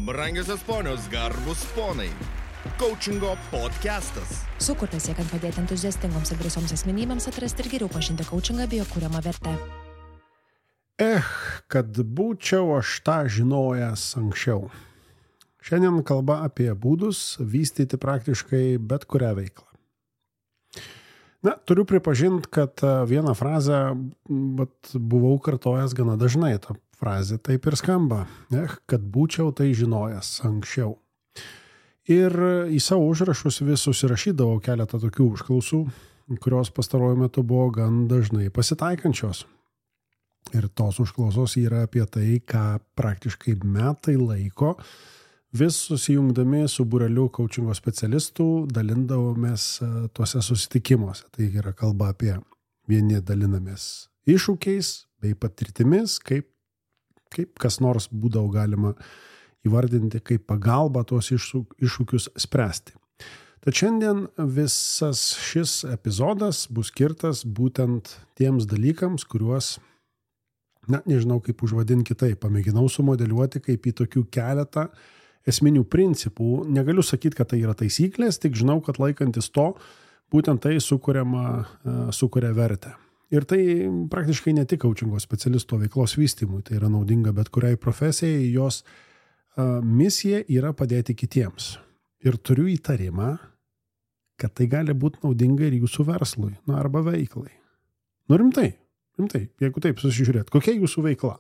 Brangiosios ponios, garbus ponai. Coachingo podcastas. Sukurtas siekiant padėti entuziastingoms ir drąsioms asmenybėms atrasti ir geriau pažinti coachingą bei jo kuriamą vertę. Kad būčiau aš tą žinojęs anksčiau. Šiandien kalba apie būdus vystyti praktiškai bet kurią veiklą. Turiu pripažinti, kad vieną frazę buvau kartojęs gana dažnai. Ta frazė taip ir skamba. Kad būčiau tai žinojęs anksčiau. Ir į savo užrašus vis susirašydavau keletą tokių užklausų, kurios pastaruoju metu buvo gan dažnai pasitaikančios. Ir tos užklausos yra apie tai, ką praktiškai metai laiko vis susijungdami su būreliu coachingo specialistų dalindavomės tuose susitikimuose. Tai yra kalba apie vieni dalinamės iššūkiais bei patirtimis, kaip kas nors būdavo galima įvardinti kaip pagalba tuos iššūkius spręsti. Tad šiandien visas šis epizodas bus skirtas būtent tiems dalykams, kuriuos, nežinau kaip užvadinti kitaip, pamėginau sumodeliuoti kaip į tokių keletą esminių principų. Negaliu sakyti, kad tai yra taisyklės, tik žinau, kad laikantis to, būtent tai sukuria vertę. Ir tai praktiškai ne tik coachingo specialisto veiklos vystymui, tai yra naudinga bet kuriai profesijai, jos misija yra padėti kitiems. Ir turiu įtarimą, kad tai gali būti naudinga ir jūsų verslui, arba veiklai. Rimtai, jeigu taip susižiūrėt, kokia jūsų veikla?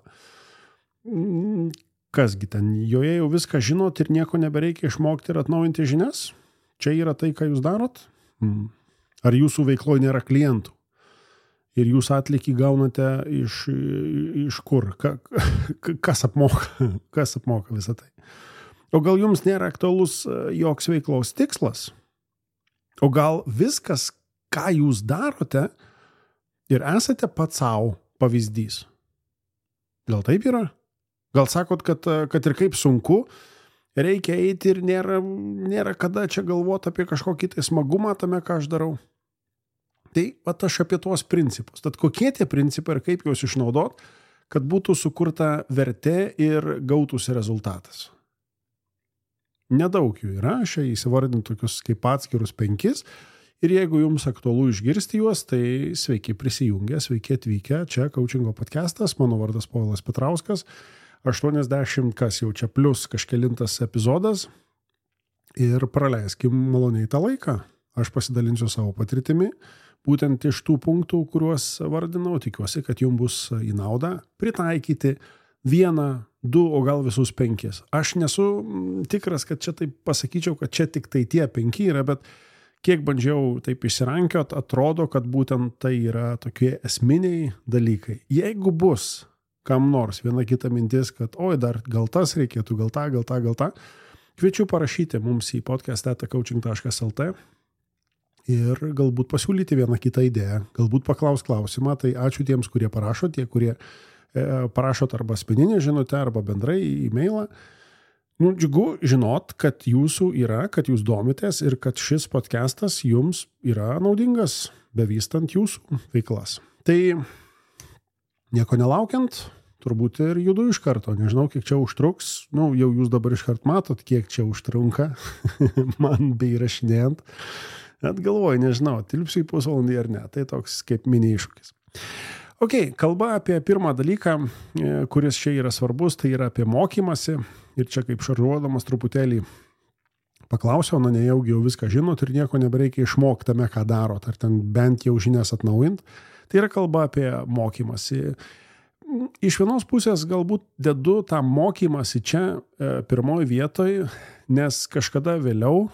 Kasgi ten, joje jau viską žinot ir nieko nebereikia išmokti ir atnaujinti žinias? Čia yra tai, ką jūs darot? Ar jūsų veikloje nėra klientų? Ir jūs atlygį gaunate iš kur? Kas apmoka visą tai? O gal jums nėra aktualus joks veiklos tikslas? O gal viskas, ką jūs darote ir esate pats savo pavyzdys? Gal taip yra? Gal sakot, kad ir kaip sunku, reikia eiti ir nėra kada čia galvoti apie kažkokį tai smagumą tame, ką aš darau? Tai aš apie tuos principus. Tad kokie tie principai ir kaip juos išnaudot, kad būtų sukurta vertė ir gautųsi rezultatas? Nedaug jų yra, aš įsivardinti tokius kaip atskirus 5. Ir jeigu jums aktualu išgirsti juos, tai sveiki prisijungę, sveiki atvykę. Čia coachingo podcastas, mano vardas Povilas Petrauskas. 80 kas jau čia plus kažkelintas epizodas. Ir praleiskim maloniai tą laiką. Aš pasidalinsiu savo patirtimi. Būtent iš tų punktų, kuriuos vardinau, tikiuosi, kad jums bus į naudą pritaikyti 1, 2, o gal visus 5. Aš nesu tikras, kad čia taip pasakyčiau, kad čia tik tai tie 5 yra, bet kiek bandžiau taip išsirankiot, atrodo, kad būtent tai yra tokie esminiai dalykai. Jeigu bus kam nors viena kita mintis, kad dar gal tas reikėtų, gal tą, kviečiu parašyti mums į podcast@coaching.lt ir galbūt pasiūlyti vieną kitą idėją, galbūt paklaus klausimą. Tai ačiū tiems, kurie parašo, tie, kurie parašot arba asmeninę žinutę, arba bendrai e-mailą. Džiugu žinot, kad jūsų yra, kad jūs domitės ir kad šis podcastas jums yra naudingas, bevystant jūsų veiklas. Tai nieko nelaukiant, turbūt ir judu iš karto. Nežinau, kiek čia užtruks. Jau jūs dabar iškart matot, kiek čia užtrunka man bei įrašinėjant. Net galvoju, nežinau, tilpsiu į pusvalandį ar ne. Tai toks kaip mini iššūkis. Kalba apie pirmą dalyką, kuris čia yra svarbus, tai yra apie mokymasi. Ir čia kaip šaržuodamas truputėlį paklausiau, nejaugi jau viską žinot ir nieko nebereikia išmokti tame, ką darot, ar ten bent jau žinias atnaujint. Tai yra kalba apie mokymasi. Iš vienos pusės galbūt dedu tą mokymasi čia pirmoji vietoj, nes kažkada vėliau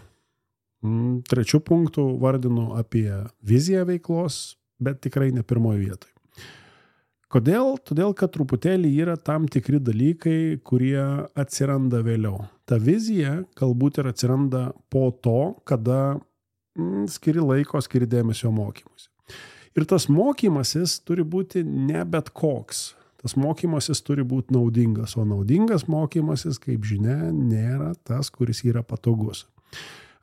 3 punktų vardinu apie viziją veiklos, bet tikrai ne pirmoji vietoj. Kodėl? Todėl, kad truputėlį yra tam tikri dalykai, kurie atsiranda vėliau. Ta vizija galbūt ir atsiranda po to, kada skiri laiko, skiri dėmesio mokymusi. Ir tas mokymasis turi būti ne bet koks. Tas mokymasis turi būti naudingas, o naudingas mokymasis, kaip žinia, nėra tas, kuris yra patogus.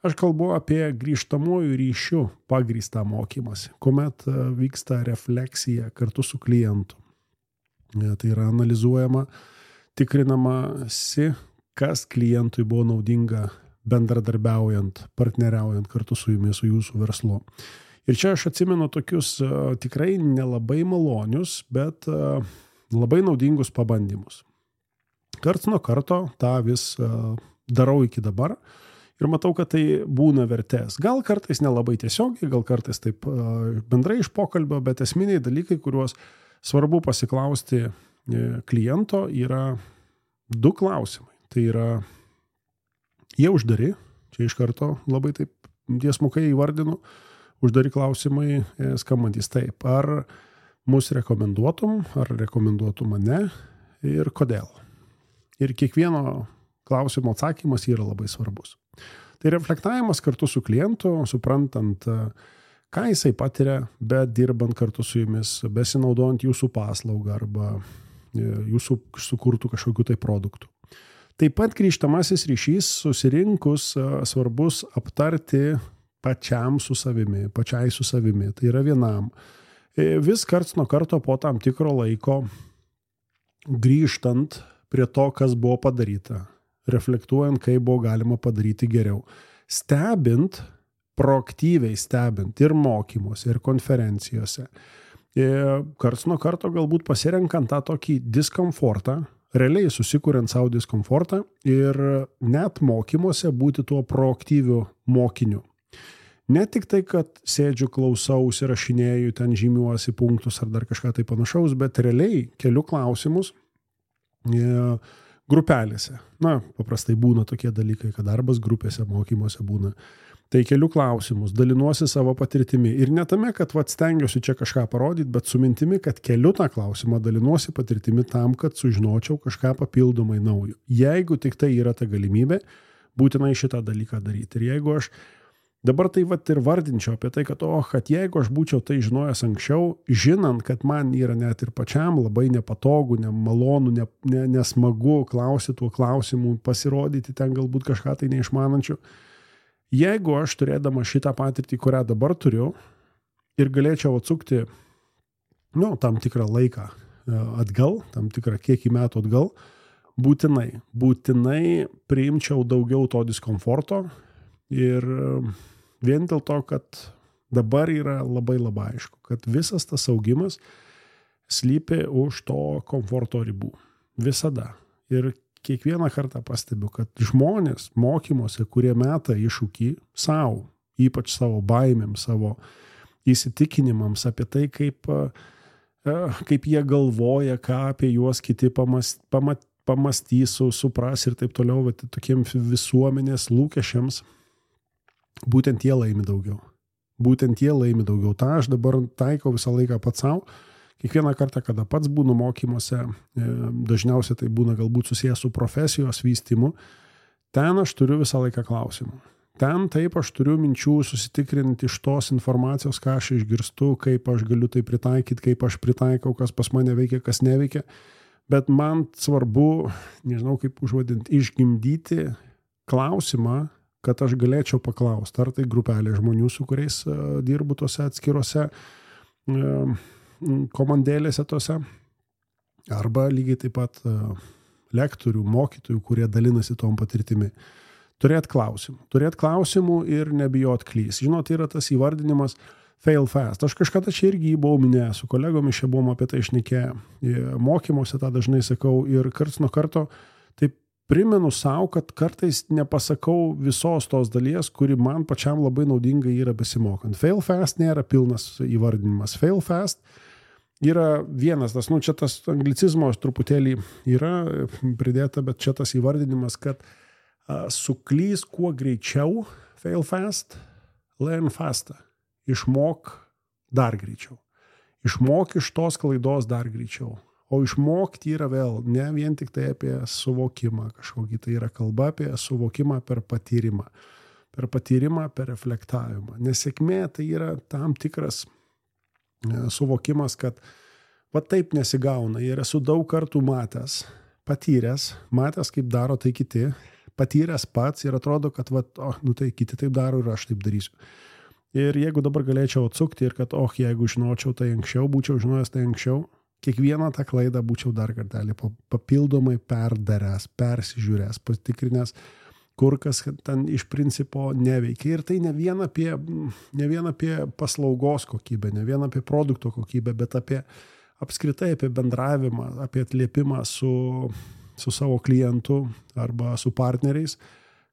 Aš kalbu apie grįžtamųjų ryšių pagrįstą mokymąsi, kuomet vyksta refleksija kartu su klientu. Tai yra analizuojama, tikrinamasi, kas klientui buvo naudinga bendradarbiaujant, partneriaujant kartu su jumis, su jūsų verslu. Ir čia aš atsimenu tokius tikrai nelabai malonius, bet labai naudingus pabandymus. Karts nuo karto tą vis darau iki dabar ir matau, kad tai būna vertės. Gal kartais nelabai tiesiogiai, gal kartais taip bendrai iš pokalbio, bet esminiai dalykai, kuriuos svarbu pasiklausti kliento, yra 2 klausimai. Tai yra, jie uždari, čia iš karto labai taip tiesmukai įvardinu, uždari klausimai skambantys taip, ar mus rekomenduotum, ar rekomenduotum mane ir kodėl. Ir kiekvieno klausimo atsakymas yra labai svarbus. Tai reflektavimas kartu su klientu, suprantant, ką jisai patiria, bet dirbant kartu su jumis, besinaudojant jūsų paslaugą arba jūsų sukurtų kažkokių tai produktų. Taip pat grįžtamasis ryšys susirinkus svarbus aptarti pačiai su savimi, tai yra vienam. Vis karts nuo karto po tam tikro laiko grįžtant prie to, kas buvo padaryta, reflektuojant, kaip buvo galima padaryti geriau. Stebint, proaktyviai stebint ir mokymuose, ir konferencijose. Karts nuo karto galbūt pasirenkant tą tokį diskomfortą, realiai susikuriant savo diskomfortą ir net mokymuose būti tuo proaktyviu mokiniu. Ne tik tai, kad sėdžiu, klausausi, rašinėju, ten žymiuosi punktus ar dar kažką tai panašaus, bet realiai keliu klausimus grupelėse. Na, paprastai būna tokie dalykai, kad darbas grupėse, mokymuose būna. Tai keliu klausimus, dalinuosi savo patirtimi. Ir ne tame, kad stengiuosi čia kažką parodyti, bet su mintimi, kad keliu tą klausimą, dalinuosi patirtimi tam, kad sužinočiau kažką papildomai naujo. Jeigu tik tai yra ta galimybė, būtinai šitą dalyką daryti. Ir jeigu aš dabar tai ir vardinčiau apie tai, kad jeigu aš būčiau tai žinojęs anksčiau, žinant, kad man yra net ir pačiam labai nepatogu, nemalonu, nesmagu klausyti tuo klausimu, pasirodyti ten galbūt kažką tai neišmanančių. Jeigu aš turėdama šitą patirtį, kurią dabar turiu, ir galėčiau atsukti tam tikrą laiką atgal, tam tikrą kiekį metų atgal, būtinai priimčiau daugiau to diskomforto ir vien dėl to, kad dabar yra labai aišku, kad visas tas augimas slypi už to komforto ribų. Visada. Ir kiekvieną kartą pastebiu, kad žmonės mokymuose, kurie meta iššūkį savo, ypač savo baimėm, savo įsitikinimams apie tai, kaip jie galvoja, ką apie juos kiti pamastys, supras ir taip toliau, bet tokiem visuomenės lūkesčiams, būtent jie laimi daugiau. Ta aš dabar taikau visą laiką pats savo. Kiekvieną kartą, kada pats būnu mokymuose, dažniausiai tai būna galbūt susijęs su profesijos vystymu, ten aš turiu visą laiką klausimų. Ten taip aš turiu minčių susitikrinti iš tos informacijos, ką aš išgirstu, kaip aš galiu tai pritaikyti, kaip aš pritaikau, kas pas mane veikia, kas neveikia. Bet man svarbu, nežinau kaip užvadinti, išgimdyti klausimą, kad aš galėčiau paklausti, ar tai grupelė žmonių, su kuriais dirbu tose atskirose komandėlėse tose, arba lygiai taip pat lektorių, mokytojų, kurie dalinasi tom patirtimi. Turėt klausimų ir nebijot klys. Žinot, yra tas įvardinimas fail fast. Aš kažkada čia irgi buvau minėjęs, su kolegomis čia buvom apie tai šnekėję. Mokymuose tą dažnai sakau ir karts nuo karto taip primenu savo, kad kartais nepasakau visos tos dalies, kuri man pačiam labai naudinga yra besimokant. Fail fast nėra pilnas įvardinimas. Fail fast yra vienas, čia tas anglicizmo truputėlį yra pridėta, bet čia tas įvardinimas, kad suklys kuo greičiau, fail fast, learn faster. Išmok dar greičiau. Išmok iš tos klaidos dar greičiau. O išmokti yra vėl ne vien tik tai apie suvokimą kažkokį, tai yra kalba apie suvokimą per patyrimą. Per patyrimą, per reflektavimą. Nesėkmė tai yra tam tikras suvokimas, kad taip nesigauna. Ir esu daug kartų matęs, matęs kaip daro tai kiti, patyręs pats ir atrodo, kad tai kiti taip daro ir aš taip darysiu. Ir jeigu dabar galėčiau atsukti ir kad jeigu žinočiau tai anksčiau, būčiau žinojęs tai anksčiau, kiekvieną tą klaidą būčiau dar kartelį papildomai perdaręs, persižiūręs, patikrinęs, kur kas ten iš principo neveikia. Ir tai ne vien apie paslaugos kokybę, ne vien apie produkto kokybę, bet apskritai apie bendravimą, apie atliepimą su savo klientu arba su partneriais,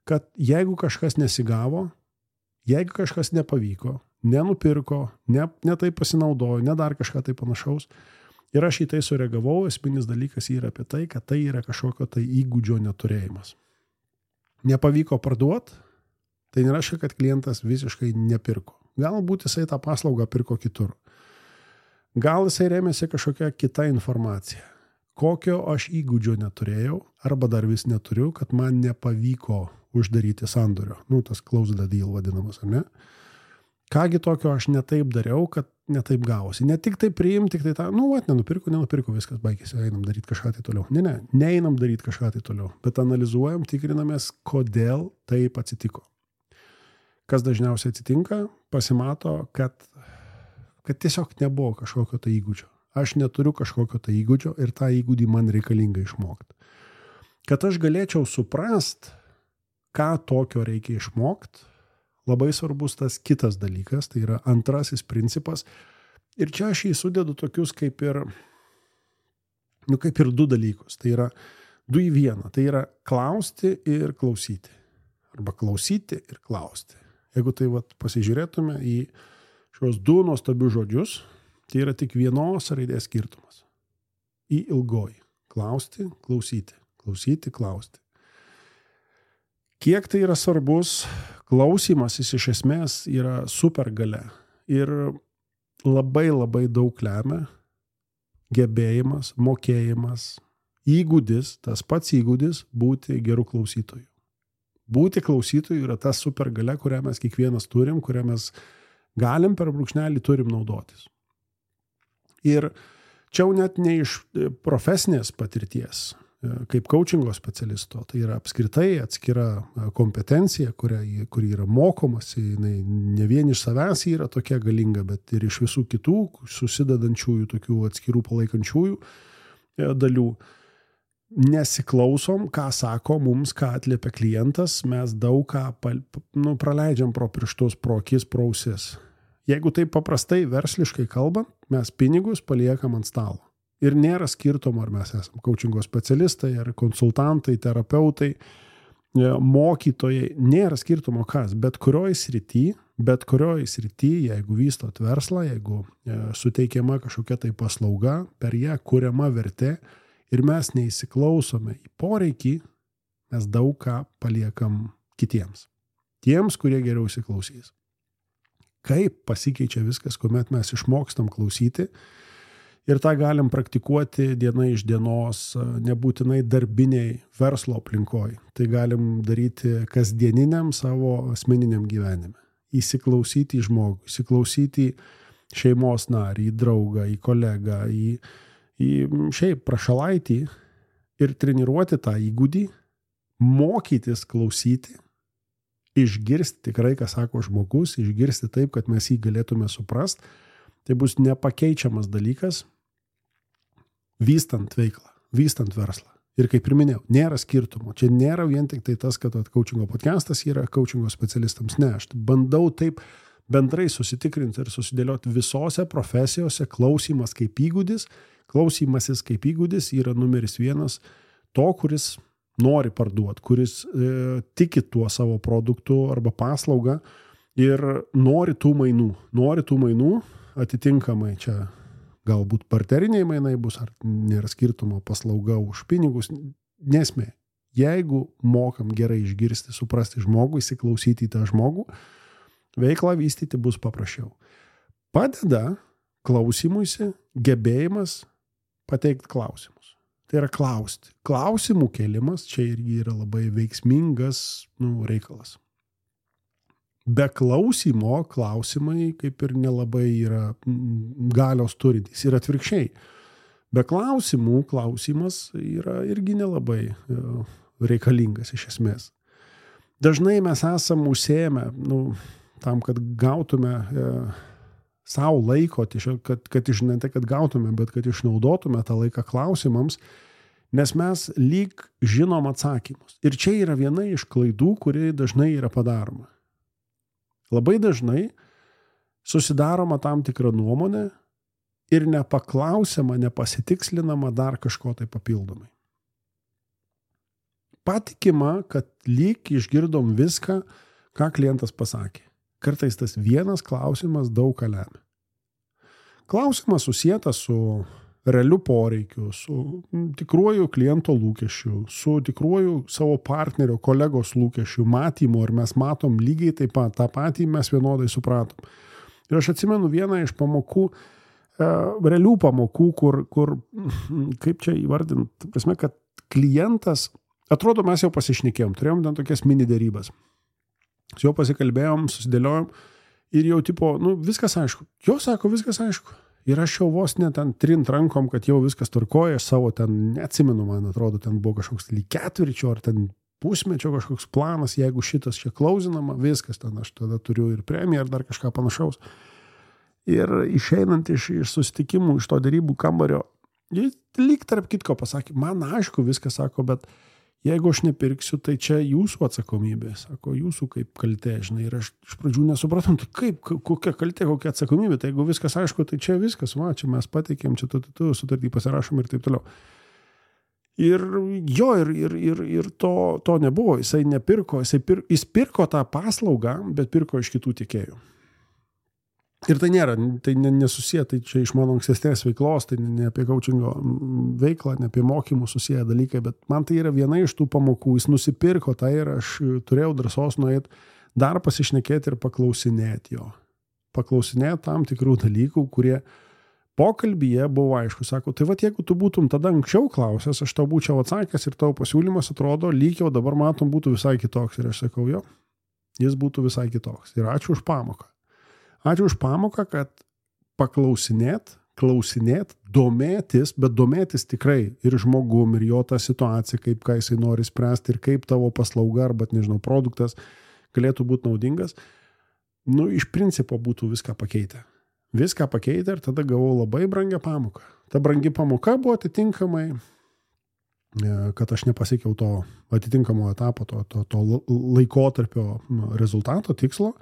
kad jeigu kažkas nesigavo, jeigu kažkas nepavyko, nenupirko, ne tai pasinaudojo, ne dar kažką tai panašaus, ir aš į tai sureagavau, esminis dalykas yra apie tai, kad tai yra kažkokio tai įgūdžio neturėjimas. Nepavyko parduoti, tai nereiškia, kad klientas visiškai nepirko. Galbūt jisai tą paslaugą pirko kitur. Gal jisai rėmėsi kažkokia kita informacija. Kokio aš įgūdžio neturėjau, arba dar vis neturiu, kad man nepavyko uždaryti sandorio. Tas close the deal vadinamas, ar ne? Kągi tokio aš netaip dariau, kad netaip gavosi. Ne tik tai priimti, tik tai tą, nenupirko, viskas baigėsi, einam daryti kažką tai toliau. Neinam daryti kažką tai toliau, bet analizuojam, tikrinamės, kodėl taip atsitiko. Kas dažniausiai atsitinka, pasimato, kad tiesiog nebuvo kažkokio tai įgūdžio. Aš neturiu kažkokio tai įgūdžio ir tą įgūdį man reikalinga išmokti. Kad aš galėčiau suprast, ką tokio reikia išmokti, labai svarbus tas kitas dalykas, tai yra antrasis principas. Ir čia aš jį sudedu tokius kaip ir du dalykus. Tai yra 2 į 1. Tai yra klausti ir klausyti. Arba klausyti ir klausti. Jeigu tai pasižiūrėtume į šios 2 nuostabius žodžius, tai yra tik vienos raidės skirtumas. Į ilgoji. Klausti, klausyti. Klausyti, klausti. Kiek tai yra svarbus, klausymasis iš esmės yra supergalia ir labai labai daug lemia gebėjimas, mokėjimas, įgūdis, tas pats įgūdis būti gerų klausytojų. Būti klausytojų yra ta supergalia, kurią mes kiekvienas turim, kurią mes galim per brūkšnelį turim naudotis. Ir čia jau net ne iš profesinės patirties, kaip coachingo specialisto, tai yra apskritai atskira kompetencija, kuri yra mokomasi, jinai ne vien iš savęs yra tokia galinga, bet ir iš visų kitų susidedančiųjų, tokių atskirų palaikančiųjų dalių. Nesiklausom, ką sako mums, ką atliepia klientas, mes daug ką praleidžiam pro pirštus, pro akis, pro ausis. Jeigu taip paprastai versliškai kalbant, mes pinigus paliekam ant stalo. Ir nėra skirtumo, ar mes esame coachingo specialistai, ar konsultantai, terapeutai, mokytojai, nėra skirtumo kas, bet kurioj srity, jeigu vystot verslą, jeigu suteikiama kažkokia tai paslauga, per ją kuriama vertė ir mes neįsiklausome į poreikį, mes daug ką paliekam kitiems. Tiems, kurie geriau įsiklausys. Kaip pasikeičia viskas, kuomet mes išmokstam klausyti, ir tą galim praktikuoti diena iš dienos, nebūtinai darbiniai verslo aplinkoj. Tai galim daryti kasdieniniam savo asmeniniam gyvenime. Įsiklausyti į žmogų, įsiklausyti į šeimos narį, į draugą, į kolegą, į šiaip prašalaitį ir treniruoti tą įgūdį, mokytis klausyti, išgirsti tikrai, ką sako žmogus, išgirsti taip, kad mes jį galėtume suprast. Tai bus nepakeičiamas dalykas, vystant veiklą, vystant verslą. Ir kaip ir minėjau, nėra skirtumo. Čia nėra vien tik tai tas, kad coachingo podcastas yra coachingo specialistams. Ne, aš bandau taip bendrai susitikrinti ir susidėlioti visose profesijose. Klausymasis kaip įgūdis yra numeris 1 to, kuris nori parduoti, kuris tiki tuo savo produktu arba paslaugą ir nori tų mainų, atitinkamai čia galbūt parteriniai mainai bus, ar nėra skirtumo paslauga už pinigus, nesmė. Jeigu mokam gerai išgirsti, suprasti žmogų, įsiklausyti į tą žmogų, veiklą vystyti bus paprasčiau. Padeda klausymuisi gebėjimas pateikti klausimus. Tai yra klausti. Klausimų kėlimas čia irgi yra labai veiksmingas reikalas. Be klausimo klausimai kaip ir nelabai yra galios turintys. Ir atvirkščiai. Be klausimų klausimas yra irgi nelabai reikalingas iš esmės. Dažnai mes esam užsiėmę tam, kad gautume savo laiko, kad ne tai, kad gautume, bet kad išnaudotume tą laiką klausimams, nes mes lyg žinom atsakymus. Ir čia yra viena iš klaidų, kuri dažnai yra padaroma. Labai dažnai susidaroma tam tikrą nuomonę ir nepaklausiama, nepasitikslinama dar kažko tai papildomai. Patikima, kad lyg išgirdom viską, ką klientas pasakė. Kartais tas vienas klausimas daug ką lemia. Klausimas susietas su realiu poreikiu, su tikruoju kliento lūkesčiu, su tikruoju savo partnerio, kolegos lūkesčiu, matymu, ir mes matom lygiai taip pat, tą patį mes vienodai supratom. Ir aš atsimenu vieną iš pamokų, realių pamokų, kur kaip čia įvardinti, prasme, kad klientas, atrodo, mes jau pasišnekėjom, turėjom ten tokias mini dėrybas. Su juo pasikalbėjom, susidėliojom ir jau tipo, viskas aišku. Jo sako, viskas aišku. Ir aš jau vos net ten trint rankom, kad jau viskas tvarkoja, aš savo ten neatsimenu, man atrodo, ten buvo kažkoks lyg ketvirčio ar ten pusmečio kažkoks planas, jeigu šitas čia klausinama, viskas ten, aš tada turiu ir premiją ar dar kažką panašaus. Ir išeinant iš susitikimų, iš to dėrybų kambario, jis lyg tarp kitko pasakė, man aišku viskas sako, bet jeigu aš nepirksiu, tai čia jūsų atsakomybė, sako, jūsų kaip kaltė, žinai, ir aš iš pradžių nesupratom, tai kaip, kokia kaltė, kokia atsakomybė, tai jeigu viskas aišku, tai čia viskas, čia mes pateikėm, čia tu sutartį pasirašom ir taip toliau. Ir jo, ir to nebuvo, jisai nepirko, jis pirko tą paslaugą, bet pirko iš kitų tiekėjų. Ir tai nėra, tai nesusiję, tai čia iš mano ankstesnės veiklos, tai ne apie coachingo veiklą, ne apie mokymų susiję dalykai, bet man tai yra viena iš tų pamokų, jis nusipirko tai ir aš turėjau drąsos nueiti dar pasišnekėti ir paklausinėti jo. Paklausinėti tam tikrų dalykų, kurie pokalbyje buvo aišku, sako, tai va, jeigu tu būtum tada anksčiau klausęs, aš tau būčiau atsakęs ir tavo pasiūlymas atrodo, lyg jau dabar matom būtų visai kitoks. Ir aš sakau, jo, jis būtų visai kitoks. Ir ačiū už pamoką. Ačiū už pamoką, kad paklausinėt, domėtis, bet domėtis tikrai ir žmogum, ir jo tą situaciją, kaip ką jisai nori spręsti, ir kaip tavo paslauga arba, nežinau, produktas galėtų būti naudingas, iš principo būtų viską pakeitę. Viską pakeitę ir tada gavau labai brangią pamoką. Ta brangi pamoka buvo atitinkamai, kad aš nepasiekiau to atitinkamo etapo, to laikotarpio rezultato, tikslo.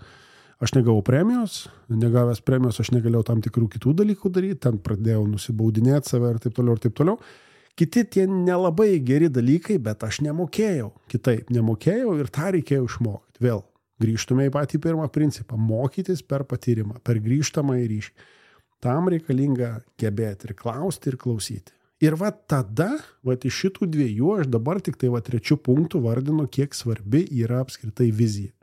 Aš negavau premijos, negavęs premijos aš negalėjau tam tikrų kitų dalykų daryti, ten pradėjau nusibaudinėti save ir taip toliau ir taip toliau. Kiti tie nelabai geri dalykai, bet aš nemokėjau kitaip, ir tą reikėjo išmokti. Vėl grįžtume į patį pirmą principą, mokytis per patyrimą, per grįžtamą į ryšį. Tam reikalinga gebėti ir klausti, ir klausyti. Ir va tada, iš šitų dviejų, aš dabar tik tai trečių punktų vardinu, kiek svarbi yra apskritai vizija.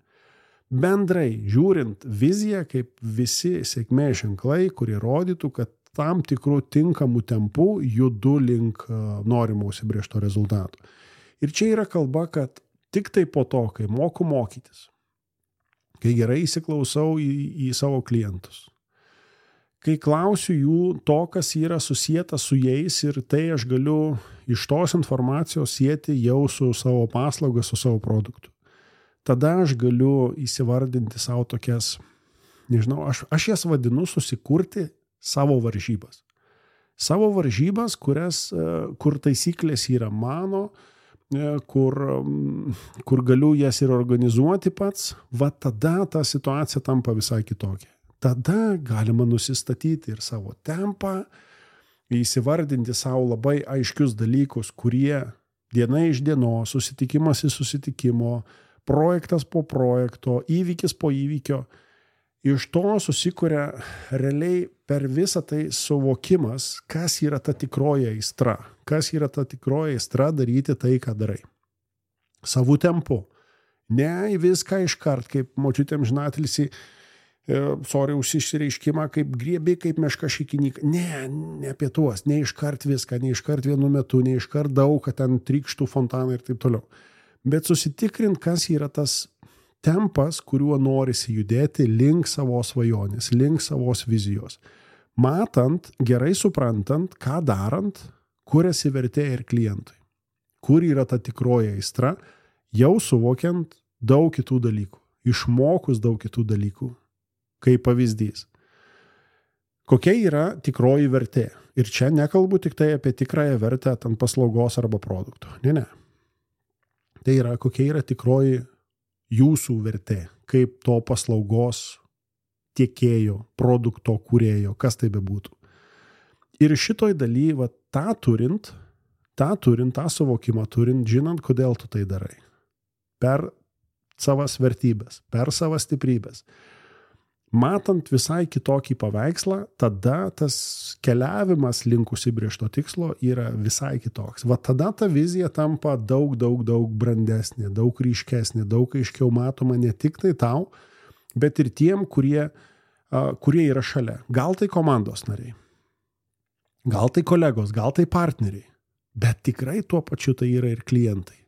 Bendrai žiūrint viziją kaip visi sėkmės ženklai, kurie rodytų, kad tam tikrų tinkamų tempų judu link norimo užsibrėžto rezultato. Ir čia yra kalba, kad tik tai po to, kai moku mokytis, kai gerai įsiklausau į savo klientus, kai klausiu jų to, kas yra susijęta su jais ir tai aš galiu iš tos informacijos sieti jau su savo paslauga, su savo produktu. Tada aš galiu įsivardinti savo tokias, nežinau, aš jas vadinu susikurti savo varžybas. Savo varžybas, kur taisyklės yra mano, kur galiu jas ir organizuoti pats, va tada ta situacija tampa visai kitokia. Tada galima nusistatyti ir savo tempą, įsivardinti savo labai aiškius dalykus, kurie diena iš dienos, susitikimas į susitikimo, projektas po projekto, įvykis po įvykio. Iš to susikuria realiai per visą tai suvokimas, kas yra ta tikroji aistra. Kas yra ta tikroji aistra daryti tai, ką darai. Savų tempu. Ne į viską iškart, kaip močiutėm žinatelisi, už išsireiškimą, kaip griebi, kaip meška šikinyką. Ne apie tuos. Ne iškart viską, ne iškart vienu metu, ne iškart daug, kad ten trykštų fontanai ir taip toliau. Bet susitikrint, kas yra tas tempas, kuriuo norisi judėti link savo svajonės, link savos vizijos. Matant, gerai suprantant, ką darant, kur esi vertė ir klientui. Kur yra ta tikroji aistra, jau suvokiant daug kitų dalykų. Išmokus daug kitų dalykų. Kaip pavyzdys. Kokia yra tikroji vertė? Ir čia nekalbu tik tai apie tikrąją vertę ant paslaugos arba produkto. Ne. Tai yra, kokia yra tikroji jūsų vertė, kaip to paslaugos tiekėjo, produkto kūrėjo, kas tai bebūtų. Ir šitoj daly, tą turint, tą suvokimą turint, žinant, kodėl tu tai darai. Per savas vertybės, per savas stiprybės. Matant visai kitokį paveikslą, tada tas keliavimas link užsibrėžto tikslo yra visai kitoks. Tada ta vizija tampa daug brandesnė, daug ryškesnė, daug aiškiau matoma ne tik tai tau, bet ir tiem, kurie yra šalia. Gal tai komandos nariai, gal tai kolegos, gal tai partneriai, bet tikrai tuo pačiu tai yra ir klientai.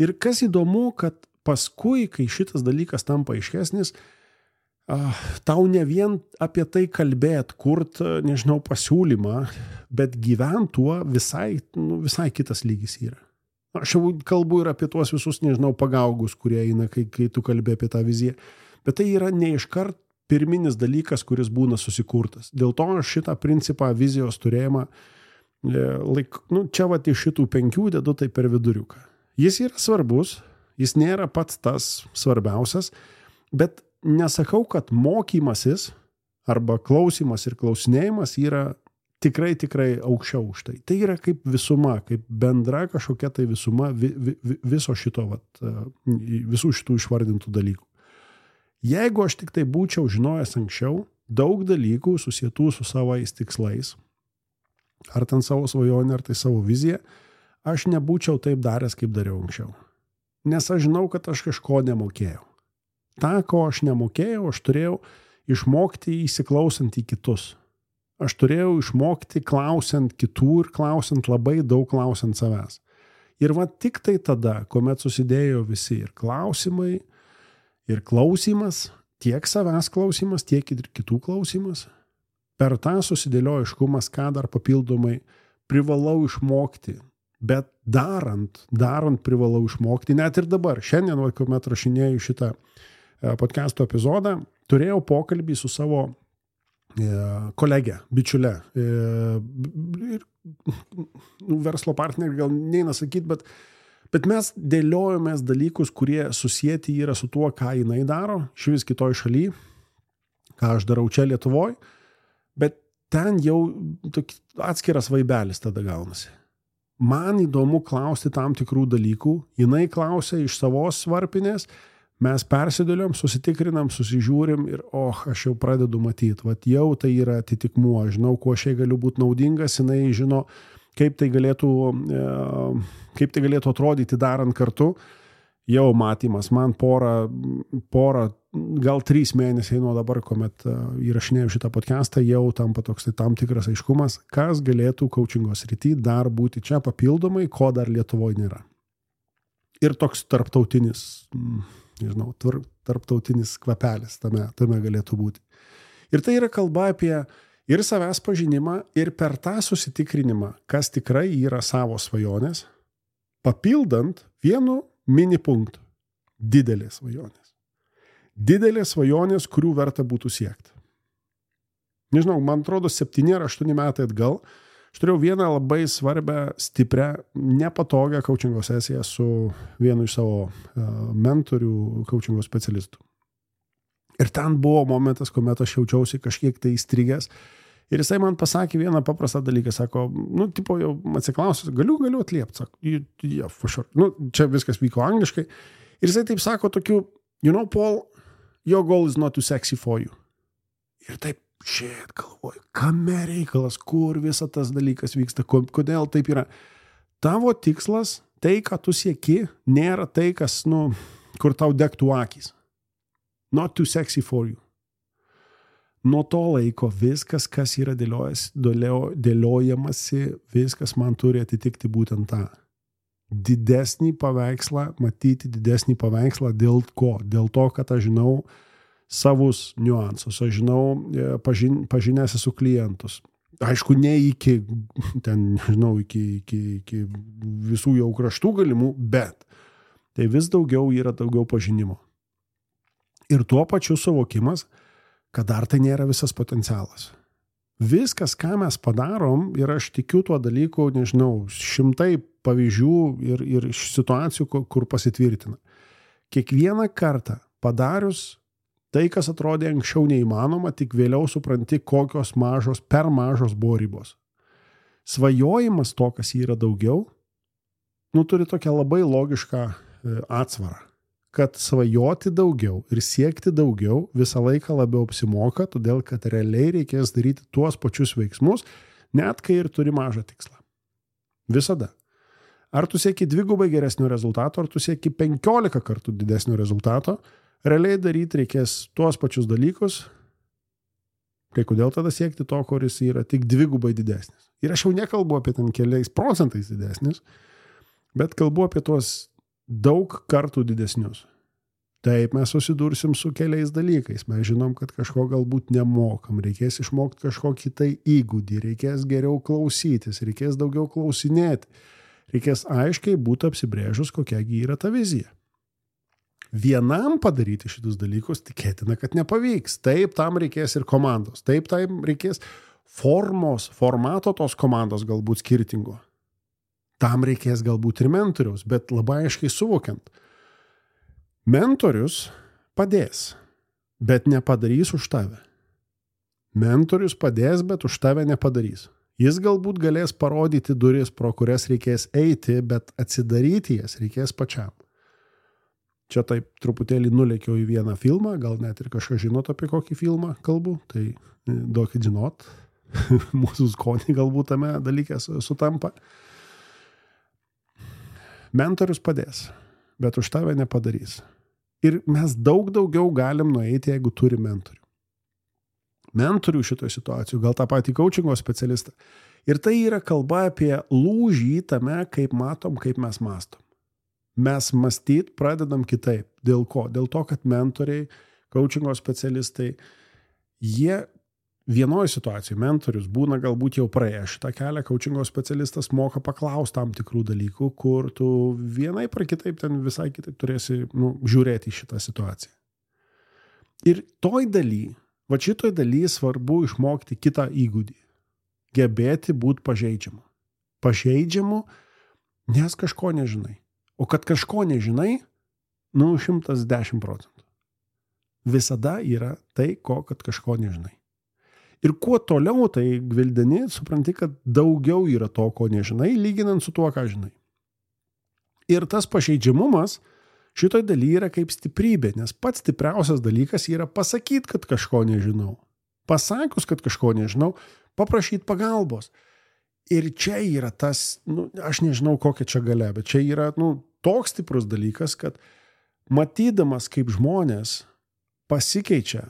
Ir kas įdomu, kad paskui, kai šitas dalykas tampa aiškesnis, tau ne vien apie tai kalbėt, kurt, pasiūlymą, bet gyvent tuo visai kitas lygis yra. Aš jau kalbu ir apie tuos visus, pagaugus, kurie eina, kai tu kalbė apie tą viziją. Bet tai yra ne iškart pirminis dalykas, kuris būna susikurtas. Dėl to aš šitą principą vizijos turėjimą, čia iš šitų 5 dedu tai per viduriuką. Jis yra svarbus, jis nėra pats tas svarbiausias, bet nesakau, kad mokymasis arba klausimas ir klausinėjimas yra tikrai aukščiau už tai. Tai yra kaip visuma, kaip bendra kažkokia tai visuma viso šito, visų šitų išvardintų dalykų. Jeigu aš tik tai būčiau žinojęs anksčiau, daug dalykų susietų su savais tikslais, ar ten savo svajonę, ar tai savo viziją, aš nebūčiau taip daręs, kaip dariau anksčiau. Nes aš žinau, kad aš kažko nemokėjau. Ta, ko aš nemokėjau, aš turėjau išmokti įsiklausant į kitus. Aš turėjau išmokti klausiant kitų ir klausiant labai daug klausiant savęs. Ir tik tai tada, kuomet susidėjo visi ir klausimai, ir klausimas, tiek savęs klausimas, tiek ir kitų klausimas, per tą susidėliojo aiškumas, ką dar papildomai privalau išmokti. Bet darant privalau išmokti, net ir dabar. Šiandien, kuomet rašinėjau šitą podcast'o epizodą, turėjau pokalbį su savo kolegė, bičiulė. Verslo partnerį gal neina sakyti, bet mes dėliojomės dalykus, kurie susieti yra su tuo, ką jinai daro, švis kitoj šaly, ką aš darau čia Lietuvoj, bet ten jau atskiras vaibelis tada gaunasi. Man įdomu klausti tam tikrų dalykų, jinai klausia iš savos varpinės, mes persidėliom, susitikrinam, susižiūrim ir aš jau pradedu matyti, jau tai yra atitikmuo, žinau, kuo šiai galiu būti naudingas, jinai žino, kaip tai galėtų atrodyti darant kartu, jau matymas, man porą, gal 3 mėnesiai nuo dabar, kuomet įrašinėjau šitą podcastą, jau tampa toks tam tikras aiškumas, kas galėtų coachingo srity dar būti čia papildomai, ko dar Lietuvoje nėra. Ir toks tarptautinis kvapelis tame galėtų būti. Ir tai yra kalba apie ir savęs pažinimą, ir per tą susitikrinimą, kas tikrai yra savo svajonės, papildant vienu mini punktu. Didelės svajonės. Didelės svajonės, kurių verta būtų siekti. Nežinau, man atrodo, 7 ar 8 metai atgal aš turėjau vieną labai svarbią, stiprią, nepatogią coachingo sesiją su vienu iš savo mentorių, coachingo specialistų. Ir ten buvo momentas, kuomet aš jaučiausi kažkiek tai įstrigęs. Ir jisai man pasakė vieną paprastą dalyką, sako, jau atsiklausiu, galiu atliepti, sako, yeah, for sure. Čia viskas vyko angliškai. Ir jisai taip sako tokiu, Paul, your goal is not too sexy for you. Ir taip, galvoju, kame reikalas, kur visa tas dalykas vyksta, kodėl taip yra. Tavo tikslas, tai, ką tu sieki, nėra tai, kas, kur tau degtų akys. Not too sexy for you. Nuo to laiko viskas, kas yra dėliojamasi, viskas man turi atitikti būtent tą. Didesnį paveikslą, matyti didesnį paveikslą dėl ko? Dėl to, kad aš žinau savus niuansus, aš žinau, pažinęs esu klientus. Aišku, ne iki visų jau kraštų galimų, bet tai vis daugiau pažinimo. Ir tuo pačiu suvokimas, kad dar tai nėra visas potencialas. Viskas, ką mes padarom, ir aš tikiu tuo dalyku, nežinau, šimtai pavyzdžių ir situacijų, kur pasitvirtina. Kiekvieną kartą padarius tai, kas atrodė anksčiau neįmanoma, tik vėliau supranti, kokios per mažos buvo ribos. Svajojimas to, kas yra daugiau, turi tokią labai logišką atsvarą, kad svajoti daugiau ir siekti daugiau visą laiką labiau apsimoka, todėl kad realiai reikės daryti tuos pačius veiksmus, net kai ir turi mažą tikslą. Visada. Ar tu sieki 2 geresnio rezultato, ar tu sieki 15 kartų didesnio rezultato, realiai daryti reikės tuos pačius dalykus, kai kodėl tada siekti to, kuris yra tik 2 didesnis. Ir aš jau nekalbu apie ten keliais procentais didesnis, bet kalbu apie tuos daug kartų didesnius. Taip, mes susidursim su keliais dalykais. Mes žinom, kad kažko galbūt nemokam, reikės išmokti kažkokį tai įgūdį, reikės geriau klausytis, reikės daugiau klausinėti, reikės aiškiai būti apsibrėžus, kokiagi yra ta vizija. Vienam padaryti šitus dalykus tikėtina, kad nepavyks. Taip, tam reikės ir komandos. Taip, tam reikės formato tos komandos galbūt skirtingo. Tam reikės galbūt ir mentoriaus, bet labai aiškiai suvokiant. Mentorius padės, bet nepadarys už tave. Mentorius padės, bet už tave nepadarys. Jis galbūt galės parodyti duris, pro kurias reikės eiti, bet atsidaryti jas reikės pačiam. Čia taip truputėlį nulėkiau į vieną filmą, gal net ir kažką žinot apie kokį filmą kalbu, tai duokit žinot, mūsų skonį galbūt tame dalyke sutampa. Mentorius padės, bet už tave nepadarys. Ir mes daug daugiau galim nueiti, jeigu turi mentorių. Mentorių šitoje situacijoje, gal tą patį coachingo specialistą. Ir tai yra kalba apie lūžį tame, kaip matom, kaip mes mastom. Mes mąstyt pradedam kitaip. Dėl ko? Dėl to, kad mentoriai, coachingo specialistai, jie vienoje situacijoje mentorius būna galbūt jau praėję šitą kelią, coachingo specialistas moka paklausti tam tikrų dalykų, kur tu vienaip ar kitaip ten visai kitaip turėsi žiūrėti į šitą situaciją. Ir šitoj daly svarbu išmokti kitą įgūdį. Gebėti būti pažeidžiamu. Pažeidžiamu, nes kažko nežinai. O kad kažko nežinai, 110%. Visada yra tai, kad kažko nežinai. Ir kuo toliau tai gvildeni, supranti, kad daugiau yra to, ko nežinai, lyginant su tuo, ką žinai. Ir tas pažeidžiamumas šitoj daly yra kaip stiprybė, nes pats stipriausias dalykas yra pasakyti, kad kažko nežinau. Pasakius, kad kažko nežinau, paprašyti pagalbos. Ir čia yra tas, aš nežinau kokia čia galia, bet čia yra toks stiprus dalykas, kad matydamas, kaip žmonės pasikeičia,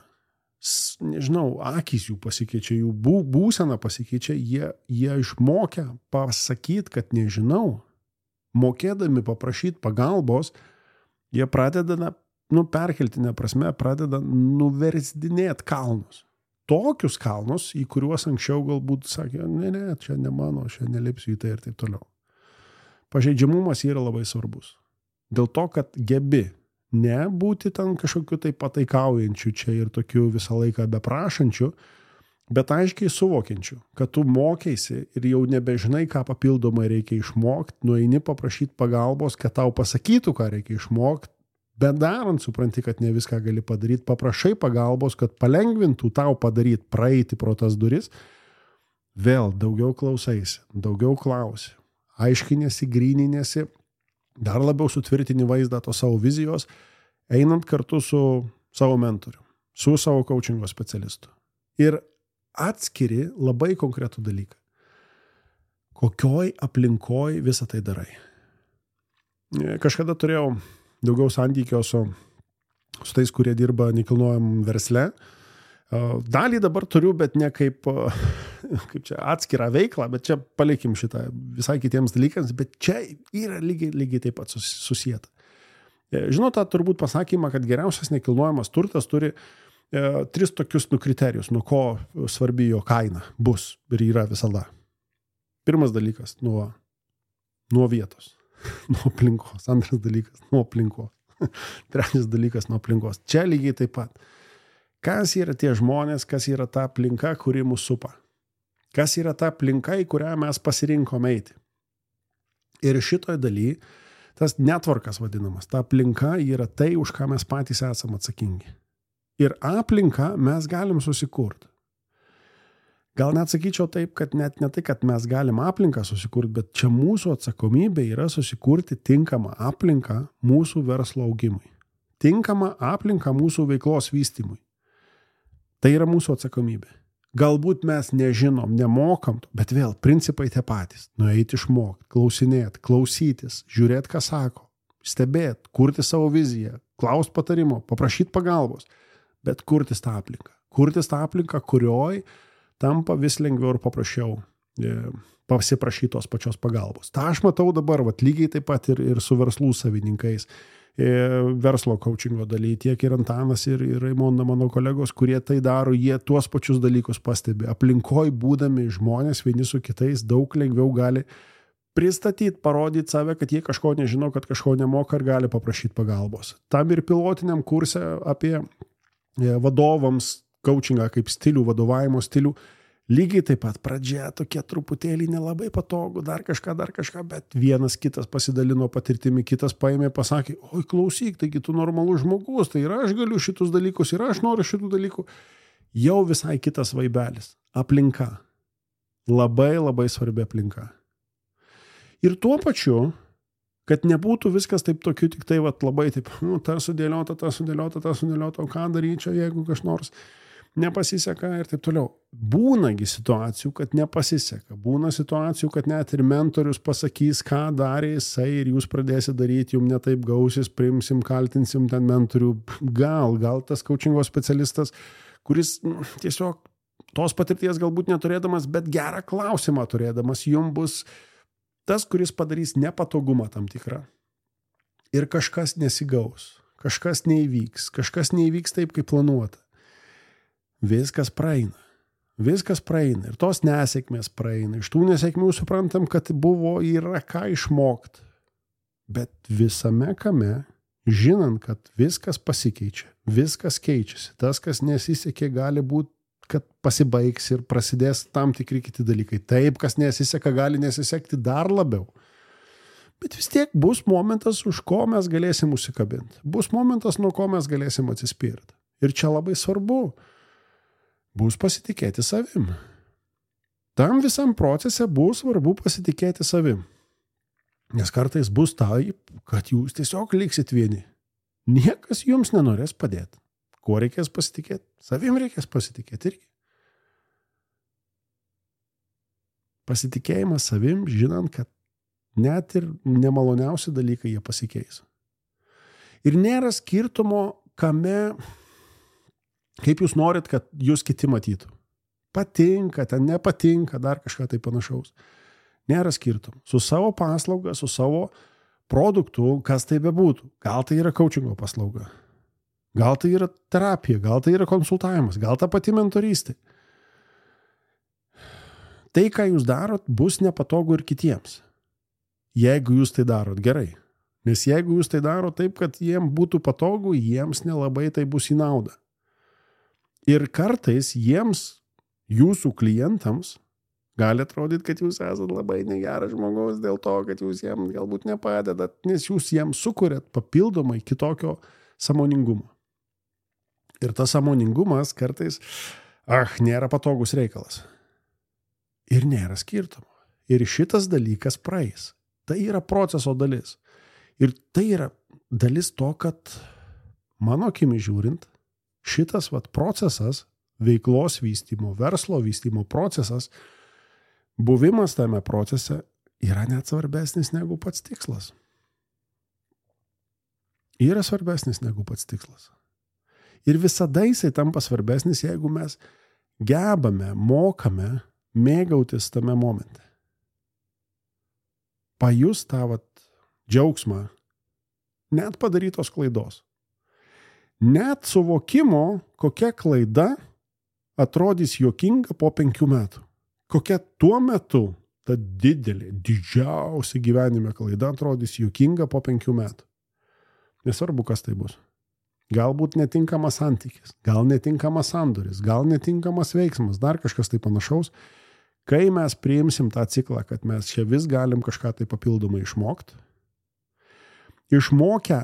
nežinau, akys jų pasikeičia, jų būsena pasikeičia, jie išmokę pasakyti, kad nežinau, mokėdami paprašyti pagalbos, jie pradeda, perkeltinė prasme, pradeda nuversdinėti kalnus. Tokius kalnus, į kuriuos anksčiau galbūt sakė, ne, čia ne mano, čia nelipsiu į tai ir taip toliau. Pažeidžiamumas yra labai svarbus. Dėl to, kad gebi ne būti ten kažkokiu tai pataikaujančiu čia ir tokiu visą laiką beprašančiu, bet aiškiai suvokiančiu, kad tu mokėsi ir jau nebežinai, ką papildomai reikia išmokti, nueini paprašyti pagalbos, kad tau pasakytų, ką reikia išmokti, bet darant supranti, kad ne viską gali padaryti, paprašai pagalbos, kad palengvintų tau padaryti, praeiti pro tas duris, vėl daugiau klausaisi, daugiau klausi, aiškinėsi, gryninėsi, dar labiau sutvirtini vaizdą to savo vizijos, einant kartu su savo mentoriu, su savo coachingo specialistu. Ir atskiri labai konkretų dalyką. Kokioj aplinkoj visą tai darai. Kažkada turėjau daugiau santykio su tais, kurie dirba nekilnojamam versle. Dalį dabar turiu, bet ne kaip čia atskirą veiklą, bet čia palikim šitą visai kitiems dalykams, bet čia yra lygiai taip pat susijęta. Žinot, tą turbūt pasakymą, kad geriausias nekilnojamas turtas turi 3 tokius kriterijus, nuo ko svarbi jo kaina bus ir yra visada. Pirmas dalykas nuo vietos, nuo aplinkos. Antras dalykas nuo aplinkos. Trečias dalykas nuo aplinkos. Čia lygiai taip pat. Kas yra tie žmonės, kas yra ta aplinka, kuri mus supa? Kas yra ta aplinka, į kurią mes pasirinkome eiti? Ir šitoj daly, tas netvarkas vadinamas, ta aplinka yra tai, už ką mes patys esame atsakingi. Ir aplinką mes galim susikurti. Gal net sakyčiau taip, kad net ne tai, kad mes galim aplinką susikurti, bet čia mūsų atsakomybė yra susikurti tinkamą aplinką mūsų verslo augimui. Tinkamą aplinką mūsų veiklos vystymui. Tai yra mūsų atsakomybė. Galbūt mes nežinom, nemokam, bet vėl principai tie patys. Nueiti išmokti, klausinėti, klausytis, žiūrėti, ką sako, stebėti, kurti savo viziją, klausti patarimo, paprašyti pagalbos, bet kurtis tą aplinką. Kurtis tą aplinką, kurioj tampa vis lengviau ir paprasčiau pasiprašyti tos pačios pagalbos. Ta aš matau dabar, lygiai taip pat ir su verslų savininkais, verslo coachingo daly, tiek ir Antanas, ir Raimonda, mano kolegos, kurie tai daro, jie tuos pačius dalykus pastebi. Aplinkoj būdami žmonės vieni su kitais daug lengviau gali pristatyti, parodyti save, kad jie kažko nežino, kad kažko nemoka ir gali paprašyti pagalbos. Tam ir pilotiniam kurse apie vadovams coachingą kaip stilių, vadovavimo stilių, lygiai taip pat pradžia tokie truputėlį nelabai patogu, dar kažką, bet vienas kitas pasidalino patirtimi, kitas paėmė, pasakė, oi klausyk, taigi tu normalus žmogus, tai ir aš galiu šitus dalykus, ir aš noriu šitų dalykų. Jau visai kitas vaibelis. Aplinka. Labai, labai svarbi aplinka. Ir tuo pačiu, kad nebūtų viskas taip tokiu, tik tai labai taip, ta sudėliota, o ką daryti čia, jeigu kas nors nepasiseka ir taip toliau. Būnagi situacijų, kad nepasiseka. Būna situacijų, kad net ir mentorius pasakys, ką darė jisai ir jūs pradėsite daryti, jums netaip gausis, priimsim, kaltinsim ten mentorių. Gal tas coachingo specialistas, kuris tiesiog tos patirties galbūt neturėdamas, bet gerą klausimą turėdamas, jums bus tas, kuris padarys nepatogumą tam tikrą. Ir kažkas nesigaus, kažkas neįvyks taip, kaip planuota. Viskas praeina. Ir tos nesėkmės praeina. Iš tų nesėkmių suprantam, kad yra ką išmokti. Bet visame kame, žinant, kad viskas pasikeičia, viskas keičiasi. Tas, kas nesisekė, gali būti, kad pasibaigs ir prasidės tam tikri kiti dalykai. Taip, kas nesiseka, gali nesisekti dar labiau. Bet vis tiek bus momentas, už ko mes galėsim užsikabinti. Bus momentas, nuo ko mes galėsim atsispirti. Ir čia labai svarbu. Bus pasitikėti savim. Tam visam procese bus svarbu pasitikėti savim. Nes kartais bus taip, kad jūs tiesiog liksit vieni. Niekas jums nenorės padėti. Kuo reikės pasitikėti? Savim reikės pasitikėti irgi. Pasitikėjimas savim, žinant, kad net ir nemaloniausi dalykai jie pasikeis. Ir nėra skirtumo, kame kaip jūs norit, kad jūs kiti matytų. Patinka, ten nepatinka, dar kažką tai panašaus. Nėra skirtum. Su savo paslauga, su savo produktu, kas tai bebūtų. Gal tai yra coachingo paslauga. Gal tai yra terapija, gal tai yra konsultavimas, gal ta pati mentorystė. Tai, ką jūs darot, bus nepatogu ir kitiems. Jeigu jūs tai darot gerai. Nes jeigu jūs tai darot taip, kad jiems būtų patogu, jiems nelabai tai bus į naudą. Ir kartais jiems, jūsų klientams, gali atrodyti, kad jūs esate labai negeras žmogus dėl to, kad jūs jiems galbūt nepadedat, nes jūs jiems sukuriat papildomai kitokio sąmoningumo. Ir tas sąmoningumas kartais, nėra patogus reikalas. Ir nėra skirtumo. Ir šitas dalykas praeis. Tai yra proceso dalis. Ir tai yra dalis to, kad mano akimi žiūrint, šitas procesas, veiklos vystymo, verslo vystymo procesas, buvimas tame procese yra net svarbesnis negu pats tikslas. Yra svarbesnis negu pats tikslas. Ir visada jisai tampa svarbesnis, jeigu mes gebame, mokame mėgautis tame momente. Pajus tą džiaugsmą net padarytos klaidos. Net suvokimo, kokia klaida atrodys juokinga po 5 metų. Kokia tuo metu ta didžiausia gyvenime klaida atrodys juokinga po 5 metų. Nesvarbu, kas tai bus. galbūt netinkamas santykis, gal netinkamas sandoris, gal netinkamas veiksmas, dar kažkas tai panašaus. Kai mes priimsim tą ciklą, kad mes čia vis galim kažką tai papildomai išmokti, išmokę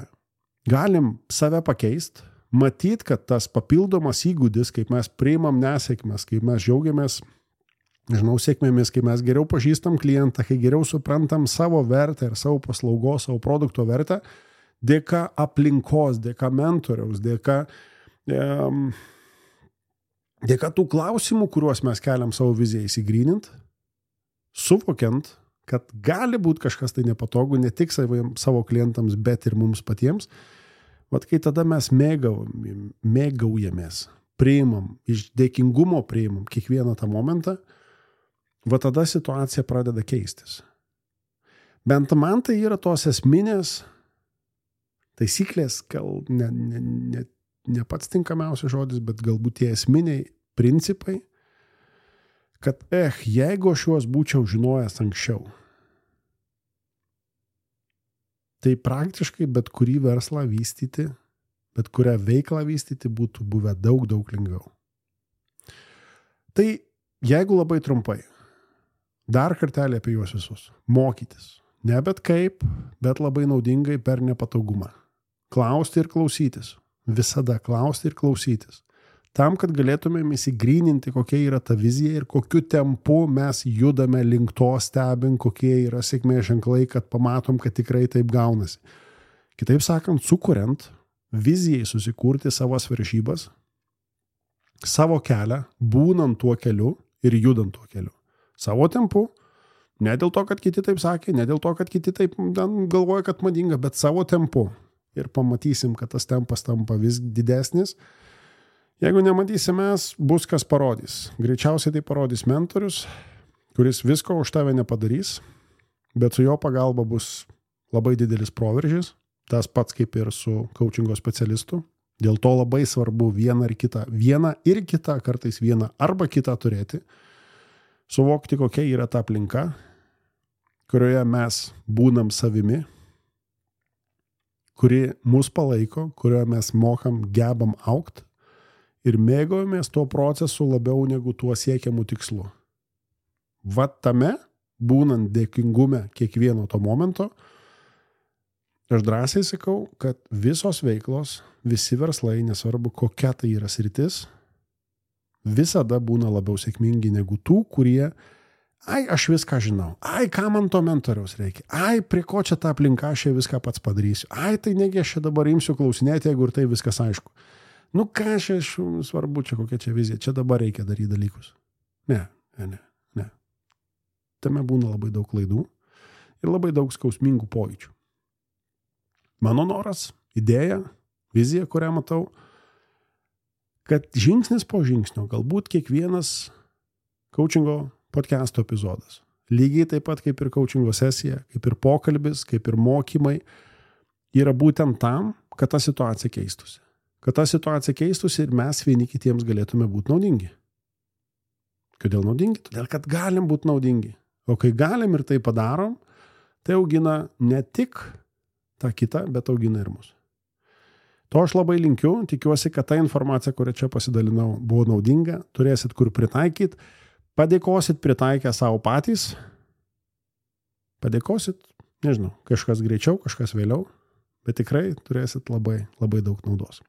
galim save pakeisti, matyt, kad tas papildomas įgūdis, kaip mes priimam nesėkmes, kaip mes džiaugiamės, sėkmėmis, kai mes geriau pažįstam klientą, kai geriau suprantam savo vertę ir savo paslaugos, savo produkto vertę, dėka aplinkos, dėka mentoriaus, dėka tų klausimų, kuriuos mes keliam savo viziją įsigrynint, suvokiant, kad gali būti kažkas tai nepatogu, ne tik savo klientams, bet ir mums patiems. Vat kai tada mes mėgaujamės, priimam, iš dėkingumo priimam kiekvieną tą momentą, va tada situacija pradeda keistis. Bent man tai yra tos esminės taisyklės, gal ne pats tinkamiausias žodis, bet galbūt tie esminiai principai, kad jeigu aš juos būčiau žinojęs anksčiau, tai praktiškai bet kurį verslą vystyti, bet kurią veiklą vystyti būtų buvę daug lengviau. Tai jeigu labai trumpai, dar kartelį apie juos visus. Mokytis. Ne bet kaip, bet labai naudingai per nepatogumą. Klausti ir klausytis. Visada klausti ir klausytis. Tam, kad galėtumėm įsigryninti, kokia yra ta vizija ir kokiu tempu mes judame link to, stebint, kokie yra sėkmės ženklai, kad pamatom, kad tikrai taip gaunasi. Kitaip sakant, sukuriant vizijai susikurti savas varžybas, savo kelią, būnant tuo keliu ir judant tuo keliu. Savo tempu, ne dėl to, kad kiti taip sakė, ne dėl to, kad kiti taip galvoja, kad madinga, bet savo tempu. Ir pamatysim, kad tas tempas tampa vis didesnis. Jeigu nematysim mes, bus kas parodys. Greičiausiai tai parodys mentorius, kuris visko už tave nepadarys, bet su jo pagalba bus labai didelis proveržis. Tas pats kaip ir su coachingo specialistu. Dėl to labai svarbu vieną ir kitą, kartais vieną arba kitą turėti. Suvokti, kokia yra ta aplinka, kurioje mes būnam savimi, kuri mus palaiko, kurioje mes gebam augti ir mėgaujamės tuo procesu labiau negu tuo siekiamu tikslu. Vat tame, būnant dėkingume kiekvieno to momento, aš drąsiai sakau, kad visos veiklos, visi verslai, nesvarbu kokia tai yra sritis, visada būna labiau sėkmingi negu tų, kurie aš viską žinau, ką man to mentoriaus reikia, prie ko čia ta aplinka, aš viską pats padarysiu, tai negi aš čia dabar imsiu klausinėti, jeigu ir tai viskas aišku. Ką aš svarbu, čia kokia čia vizija, čia dabar reikia daryti dalykus. Ne. Tame būna labai daug klaidų ir labai daug skausmingų pojūčių. Mano noras, idėja, vizija, kurią matau, kad žingsnis po žingsnio, galbūt kiekvienas coachingo podcast'o epizodas, lygiai taip pat kaip ir coachingo sesija, kaip ir pokalbis, kaip ir mokymai, yra būtent tam, kad ta situacija keistųsi. Kad ta situacija keistųsi ir mes vieni kitiems galėtume būti naudingi. Kodėl naudingi? Todėl, kad galim būti naudingi. O kai galim ir tai padarom, tai augina ne tik tą kitą, bet augina ir mus. To aš labai linkiu, tikiuosi, kad ta informacija, kurią čia pasidalinau, buvo naudinga, turėsit kur pritaikyti, padėkosit pritaikę savo patys, padėkosit, nežinau, kažkas greičiau, kažkas vėliau, bet tikrai turėsit labai daug naudos.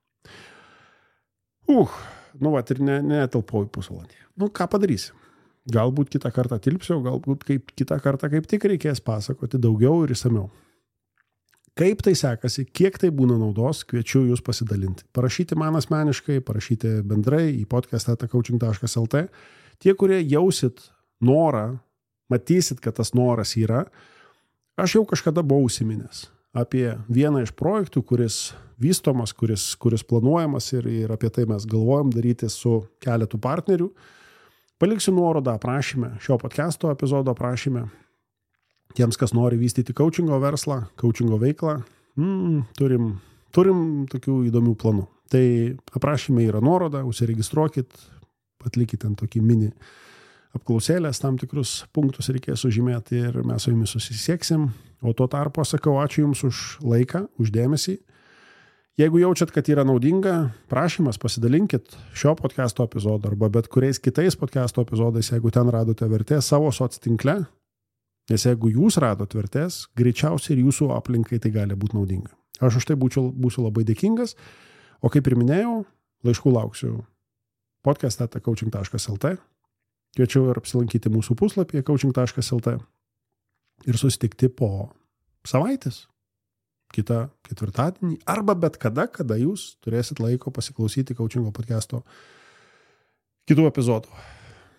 Ir netelpau į pusvalandį. Ką padarysi? Galbūt kitą kartą tilpsiu, galbūt kitą kartą kaip tik reikės pasakoti daugiau ir išsamiau. Kaip tai sekasi, kiek tai būna naudos, kviečiu jūs pasidalinti. Parašyti man asmeniškai, parašyti bendrai į podcast@coaching.lt. Tie, kurie jausit norą, matysit, kad tas noras yra, aš jau kažkada buvau užsiminęs apie vieną iš projektų, kuris vystomas, kuris planuojamas ir apie tai mes galvojam daryti su keletu partnerių. Paliksiu nuorodą aprašyme, šio podcast'o epizodo aprašyme. Tiems, kas nori vystyti coachingo verslą, coachingo veiklą, turim tokių įdomių planų. Tai aprašyme yra nuoroda, užsiregistruokit, atlikit ten tokį mini apklausėlės, tam tikrus punktus reikės sužymėti ir mes su jumis susisieksim. O tuo tarpu sakau ačiū jums už laiką, už dėmesį. Jeigu jaučiat, kad yra naudinga, prašymas pasidalinkit šio podcast'o epizodą arba bet kuriais kitais podcast'o epizodais, jeigu ten radote vertės savo soctinkle, nes jeigu jūs radot vertės, greičiausiai ir jūsų aplinkai tai gali būti naudinga. Aš už tai būsiu labai dėkingas, o kaip ir minėjau, laiškų lauksiu podcast@coaching.lt, kviečiu ir apsilankyti mūsų puslapyje coaching.lt ir susitikti po savaitės. Kitą ketvirtadienį, arba bet kada jūs turėsit laiko pasiklausyti Coachingo podcast'o kitų epizodų.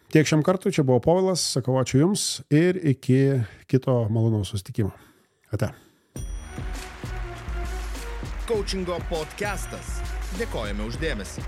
Tiek šiam kartui, čia buvo Povilas, sakau ačiū Jums ir iki kito malonaus susitikimo. Ate. Coachingo podcastas. Dėkojame už dėmesį.